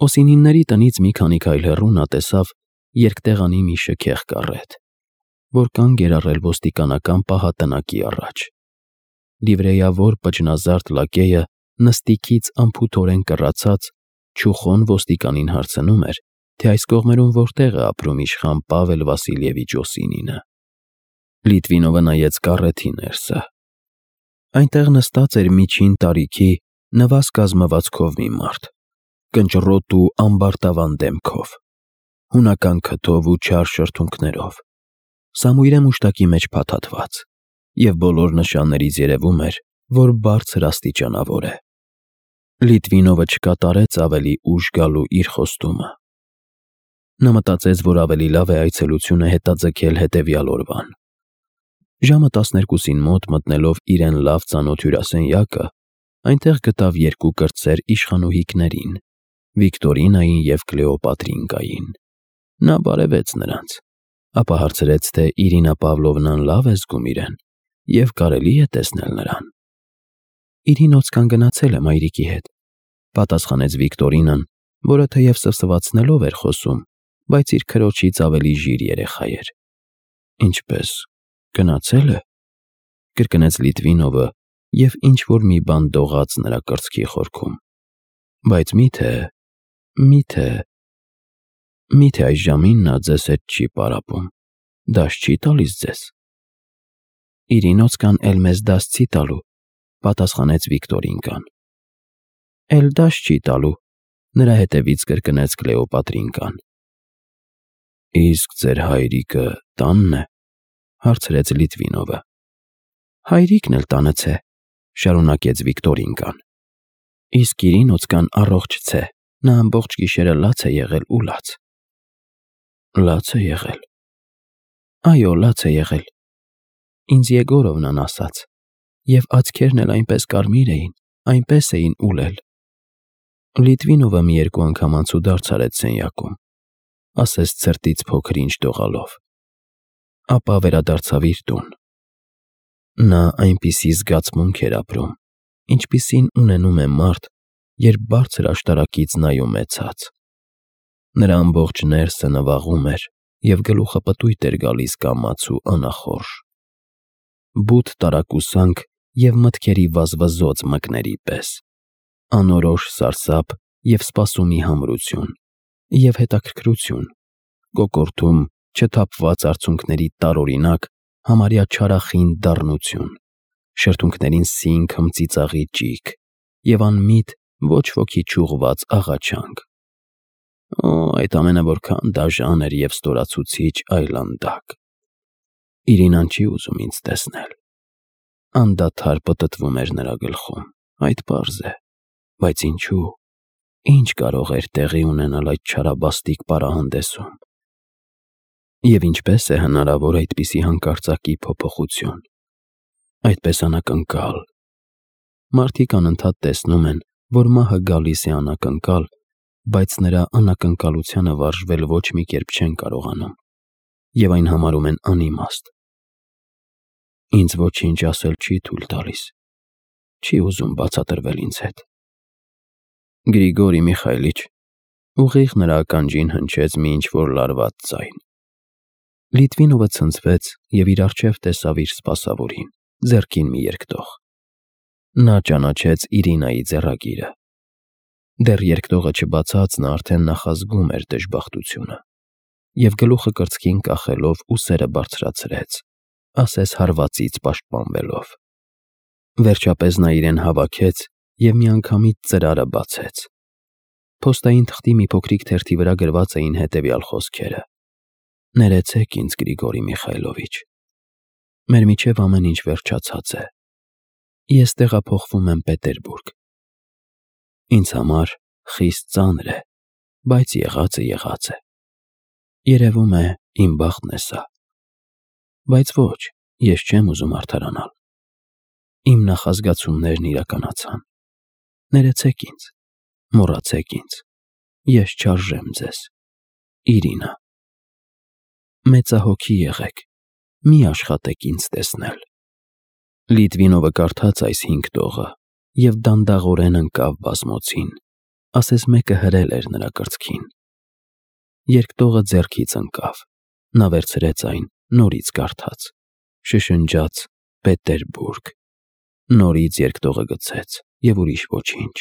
Օսինինների տնից մի քանի քայլ հեռու նա տեսավ երկտեղանի մի շքեղ կառետ, որ կանգ էր առել ոստիկանական պահատնակի առաջ։ Լիվրեյավոր պճնազարդ լակեյը նստիքից անփութորեն կռացած չուխոն ոստիկանին հարցնում էր, թե այս կողմերում որտեղ է ապրում իշխան Պավել Վասիլևիչ Օսինինը։ Լիտվինովը նայեց կառեթի ներսը։ Այնտեղ նստած էր միջին տարիքի նվազ կազմվածքով մի մարդ, կնճռոտ ու ամբարտավան դեմքով, հունական քթով ու չար շրթունքներով, սամույրե մուշտակի մեջ փաթաթված, և բոլոր նշաններից երևում էր, որ բարձր աստիճանավոր է։ Լիտվինովը չկատարեց ավելի ուշ գալու իր խոստումը։ Նա մտածեց, որ ավելի լավ է այցելությունը հետաձգել հետևյալ օրվան։ Ժամը 12-ին մոտ մտնելով իրեն լավ ծանոթ հյուրասենյակը, այնտեղ գտավ երկու կրտսեր իշխանուհիքներին՝ Վիկտորինային և Կլեոպատրին գային։ Նա բարևեց նրանց, ապա հարցրեց, թե Իրինա Պավլովնան լավ է զգում իրեն և կարելի է տեսնել նրան։ Իրին օծկան գնացել է մայրիկի հետ, պատասխանեց Վիկտորինան, որը թեև սվսվածնելով էր խոսում, բայց իր քրոջից ավելի ժիր երեխա էր։ Ինչպես, գնացել է, կրկնեց Լիտվինովը և ինչ-որ մի բան դողաց նրա կրծքի խորքում։ Բայց միթե այս ժամին նա ձեզ հետ չի պարապում, դաս չի տալիս ձեզ։ Իրինոցկան էլ մեզ դաս չի տալու, պատասխանեց Վիկտորինկան։ Էլ դաս չի տալու, նրա հետևից կրկնեց Կլեոպատրինկան։ Իսկ ձեր հայրիկը տանն է, հարցրեց Լիտվինովը։ Հայրիկն էլ տանը չէ, շարունակեց Վիկտորինկան։ Իսկ Իրինոցկան առողջ չէ, նա ամբողջ գիշերը լաց է եղել ու լաց։ Լաց է եղել։ Այո, լաց է եղել։ Ինձ Եգորովնան ասաց, և աչքերն էլ այնպես կարմիր էին, այնպես էին ուլել։ Լիտվինովը մի երկու անգամ անցուդարձ արեց սենյակում, ասես ցրտից փոքր ինչ դողալով, ապա վերադարձավ իր տուն։ Նա այնպիսի զգացմունք էր ապրում, ինչպիսին ունենում է մարդ, երբ բարձր աշտարակից նայում է ցած։ Նրա ամբողջ ներսը նվաղում էր և գլուխը պտույտ էր գալիս կամաց ու անախորժ։ Բութ տարակուսանք և մտքերի վազվզոծ մկների պես, անորոշ սարսափ և սպասումի համրություն, և հետաքրքրություն, կոկորդում չթափված արցունքների տարօրինակ, համարյա չարախին դառնություն, շրթունքներին սինկ հմծիծաղի ճիգ և անմիտ ոչ ոքի չուղղված աղաչանք։ Օ, այդ ամենը որքան դաժան էր և ստորացուցիչ այլանդակ։ Իրինան չի ուզում ինձ տեսնել։ Անդադար պտտվում էր նրա գլխում, այդ պարզ է, բայց ինչու՞։ Ինչ կարող էր տեղի ունենալ այդ չարաբաստիկ պարահանդեսում։ Եվ ինչպես է հնարավոր այդպիսի հանկարծակի փոփոխություն, այդպես անակնկալ։ Մարդիկ անընդհատ տեսնում են, որ մահը գալիս է անակնկալ, բայց նրա անակնկալությանը վարժվել ոչ մի կերպ չեն կարողանում և այն համարում են անիմաստ։ Ինձ ոչինչ ասել չի թույլ տալիս, չի ուզում բացատրվել ինձ հետ։ Գրիգորի Միխայլիչ, ուղիղ նրա ականջին հնչեց մի ինչ-որ լարված ձայն։ Լիտվինովը ցնցվեց և իր առջև տեսավ իր սպասավորին, ձեռքին մի երկտող։ Նա ճանաչեց Իրինայի ձեռագիրը։ Դեռ երկտողը չբացած նա արդեն նախազգում էր դժբախտությունը և գլուխը կրծքին կախելով ուսերը բարձրացրեց, ասես հարվածից պաշտպանվելով։ Վերջապես նա իրեն հավաքեց և միանգամից ծրարը բացեց։ Փոստային թղթի մի փոքրիկ թերթի վրա գրված էին հետևյալ խոսքերը. Ներեցեք ինձ, Գրիգորի Միխայլովիչ, մեր միջև ամեն ինչ վերջացած է։ Ես տեղափոխվում եմ Պետերբուրգ։ Ինձ համար խիստ ծանր է, բայց եղածը եղած է։ Երևում է, իմ բախտն է սա։ Բայց ոչ, ես չեմ ուզում արդարանալ։ Իմ նախազգացումներն իրականացան։ Ներեցեք ինձ, մոռացեք ինձ, ես չարժեմ ձեզ։ Իրինա։ Մեծահոգի եղեք, մի աշխատեք ինձ տեսնել։ Լիտվինովը կարդաց այս 5 տողը և դանդաղորեն ընկավ բազմոցին, ասես մեկը հրել էր նրա կրծքին։ Երկտողը ձեռքից ընկավ, նա վերցրեց այն, նորից կարդաց, շշնջաց Պետերբուրգ, նորից երկտողը գցեց և ուրիշ ոչինչ։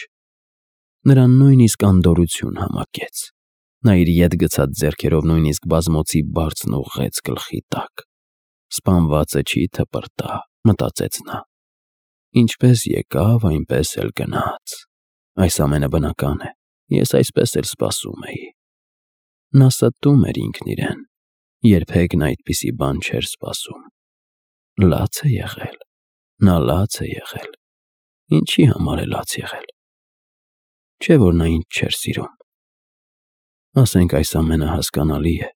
Նրան նույնիսկ անդորրություն համակեց։ Նա իր ետ գցած ձեռքերով նույնիսկ բազմոցի բարձն ուղղեց գլխի տակ։ Սպանվածը չի թպրտա, մտածեց նա։ Ինչպես եկավ, այնպես էլ գնաց։ Այս ամենը բնական է, ես այսպես էլ սպասում էի։ Նա ստում էր ինքն իրեն, երբեք նա այդպիսի բան չէր սպասում։ Լաց է եղել, նա լաց է եղել։ Ինչի համար է լաց եղել։ Չէ՞ որ նա ինձ չէր սիրում։ Ասենք այս ամենը հասկանալի է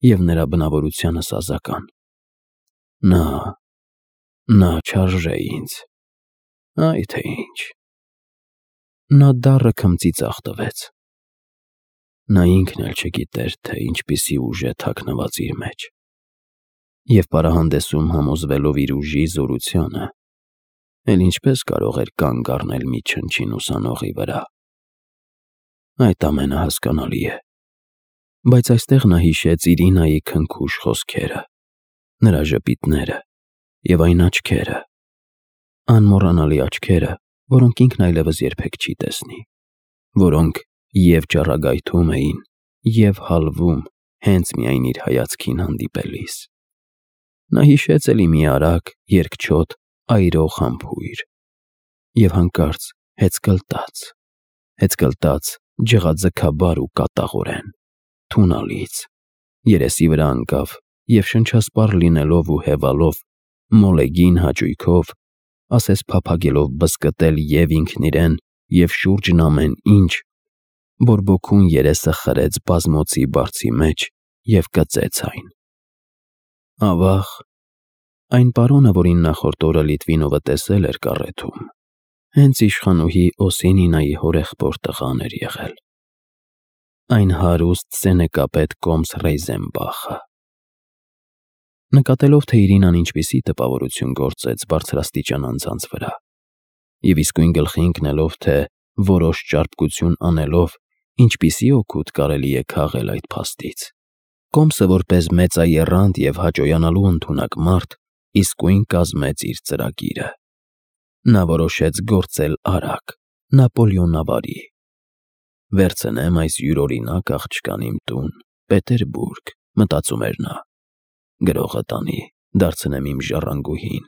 և նրա բնավորությանը սազական։ Նա չարժե ինձ, այ թե ինչ։ Նա դառը քմծի ծախ տվեց։ Նա ինքն էլ չգիտեր, թե ինչպիսի ուժ է թաքնված իր մեջ։ Եվ պարահանդեսում համոզվելով իր ուժի զորությանը, էլ ինչպես կարող էր կանգ առնել մի չնչին ուսանողի վրա։ Այդ ամենը հասկանալի է, բայց այստեղ նա հիշեց Իրինայի քնքուշ խոսքերը, նրա ժպիտները և այն աչքերը, անմոռանալի աչքերը, որոնք ինքն այլևս երբեք չի տեսնի, որոնք և ճառագայթում էին, և հալվում հենց միայն իր հայացքին հանդիպելիս։ Նա հիշեց էլի մի արագ, երկչոտ, այրող համբույր և հանկարծ հեծկլտաց, ջղաձգաբար ու կատաղորեն, թունալից, երեսի վրա ընկավ և շնչասպառ լինելով ու հևալով, մոլեգին հաճույքով, ասես փափագելով բզկտել և ինքն իրեն, և շուրջն ամեն ինչ, բորբոքուն երեսը խրեց բազմոցի բարձի մեջ և կծեց այն։ Ավաղ, այն պարոնը, որին նախորդ օրը Լիտվինովը տեսել էր կառեթում, հենց իշխանուհի Օսինինայի հորեղբոր տղան էր եղել։ Այն հարուստ սենեկապետ կոմս Ռեյզենբախը։ Նկատելով, թե Իրինան ինչպիսի տպավորություն գործեց բարձրաստիճան անձանց վրա, և իսկույն գլխի ընկնելով, թե որոշ ճարպկություն անելով ինչպիսի օգուտ կարելի է քաղել այդ փաստից, կոմսը որպես մեծաեռանդ և հաճոյանալու ընդունակ մարդ իսկույն կազմեց իր ծրագիրը։ Նա որոշեց գործել արագ, նապոլեոնավարի։ Վերցնեմ այս յուրօրինակ աղջկան իմ տուն, Պետերբուրգ, մտածում էր նա։ Գրողը տանի, դարձնեմ իմ ժառանգուհին,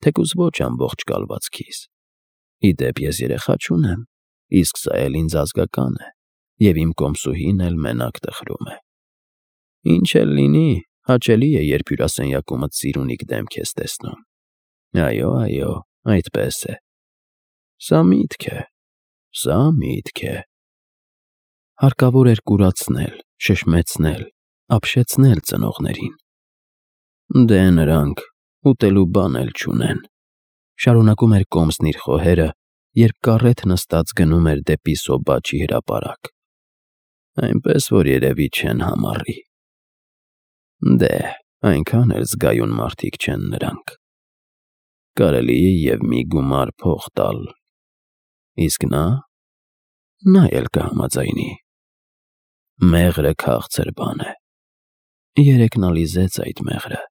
թեկուզ ոչ ամբողջ կալվածքիս։ Ի դեպ, ես երեխա չունեմ, իսկ սա էլ ինձ ազգական է, և իմ կոմսուհին էլ մենակ տխրում է։ Ինչ էլ լինի, հաճելի է, երբ հյուրասենյակումդ սիրունիկ դեմք ես տեսնում։ Այո, այդպես է։ Սա միտք է։ Հարկավոր էր կուրացնել, շշմեցնել, ապշեցնել ծնողներին։ Դե նրանք ուտելու բան էլ չունեն, շարունակում էր կոմսն իր խոհերը, երբ կառեթ նստած գնում էր դեպի Սոբաչի հրապարակ։ Այնպես որ երևի չեն համառի։ Դե, այնքան էլ զգայուն մարդիկ չեն նրանք։ Կարելի է և մի գումար փող տալ։ Իսկ նա էլ կհամաձայնի։ Մեղրը քաղցր բան է։ Երեկ նա լիզեց այդ մեղրը։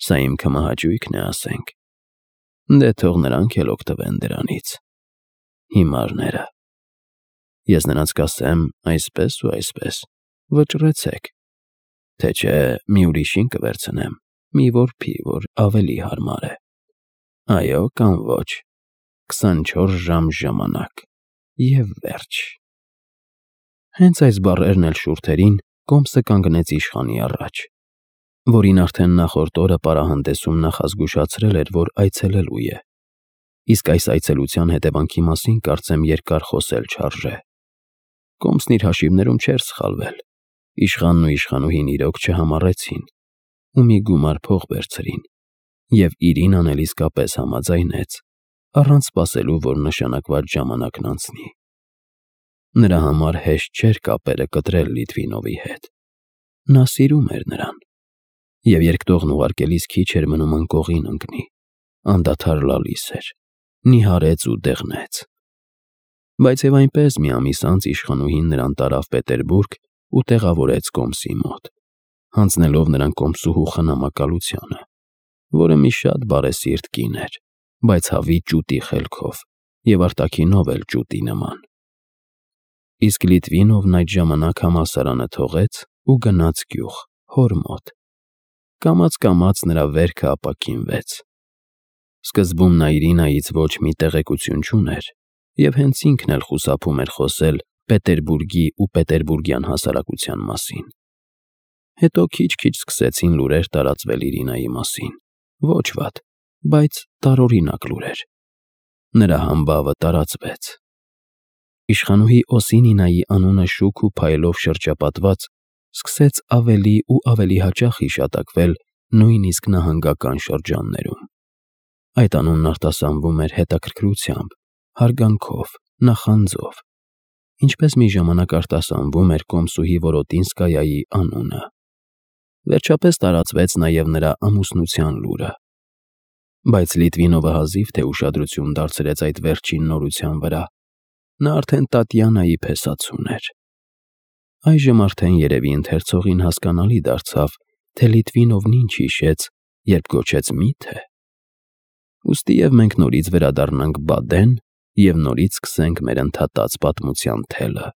Սա իմ քմահաճույքն է, ասենք։ Դե թող նրանք էլ օգտվեն դրանից։ Հիմարները։ Ես նրանց կասեմ այսպես ու այսպես, վճռեցեք, թե չէ մի ուրիշին կվերցնեմ, մի որբի, որ ավելի հարմար է։ Այո կամ ոչ, 24 ժամ ժամանակ, և վերջ։ Հենց այս բառերն էլ շուրթերին կոմսը կանգնեց իշխանի առաջ, որին արդեն նախորդ օրը պարահանդեսում նախազգուշացրել էր, որ այցելելու է։ Իսկ այս այցելության հետևանքի մասին կարծեմ երկար խոսել չարժե։ Կոմսն իր հաշիվներում չէր սխալվել։ Իշխանն ու իշխանուհին իրոք չհամառեցին ու մի գումար փող վերցրին, և Իրինան էլ իսկապես համաձայնեց, առանց սպասելու, որ նշանակված ժամանակն անցնի։ Նրա համար հեշտ չէր կապերը կտրել Լիտվինովի հետ։ Նա սիրում էր նրան, և երկտողն ուղարկելիս քիչ էր մնում անկողին ընկնի, անդադար լալիս էր, նիհարեց ու դեղնեց։ Բայց եւ այնպես մի ամիս անց իշխանուհին նրան տարավ Պետերբուրգ ու տեղավորեց Կոմսի մոտ, հանձնելով նրան Կոմսուհու խնամակալությանը, որը մի շատ բարեսիրտ կին էր, բայց հավի ճուտի խելքով եւ արտաքինով էլ ճուտի նման։ Իսկ Լիտվինովն այդ ժամանակ համալսարանը թողեց ու գնաց գյուղ, հոր մոտ։ Կամաց նրա վերքը ապաքինվեց։ Սկզբում նա Իրինայից ոչ մի տեղեկություն չուներ եւ հենց ինքն էլ խուսափում էր խոսել Պետերբուրգի ու պետերբուրգյան հասարակության մասին։ Հետո քիչ-քիչ սկսեցին լուրեր տարածվել Իրինայի մասին, ոչ վատ, բայց տարօրինակ լուրեր։ Նրա համբավը տարածվեց։ Իշխանուհի Օսինինայի անունը շուք ու փայլով շրջապատված սկսեց ավելի ու ավելի հաճախ հիշատակվել նույնիսկ նահանգական շրջաններում։ Այդ անունն արտասանվում էր հետաքրքրությամբ, հարգանքով, նախանձով, ինչպես մի ժամանակ արտասանվում էր Կոմսուհի Որոտինսկայայի անունը։ Վերջապես տարածվեց նաև նրա ամուսնության լուրը։ Բայց Լիտվինովը հազիվ թե ուշադրություն դարձրեց այդ վերջին նորության վրա։ Նա արդեն Տատյանայի փեսացուն էր։ Այժմ արդեն երևի ընթերցողին հասկանալի դարձավ, թե Լիտվինովն ինչ հիշեց, երբ գոչեց մի՞թե։ Ուստի եւ մենք նորից վերադառնանք Բադեն և նորից սկսենք մեր ընդհատած պատմության թելը։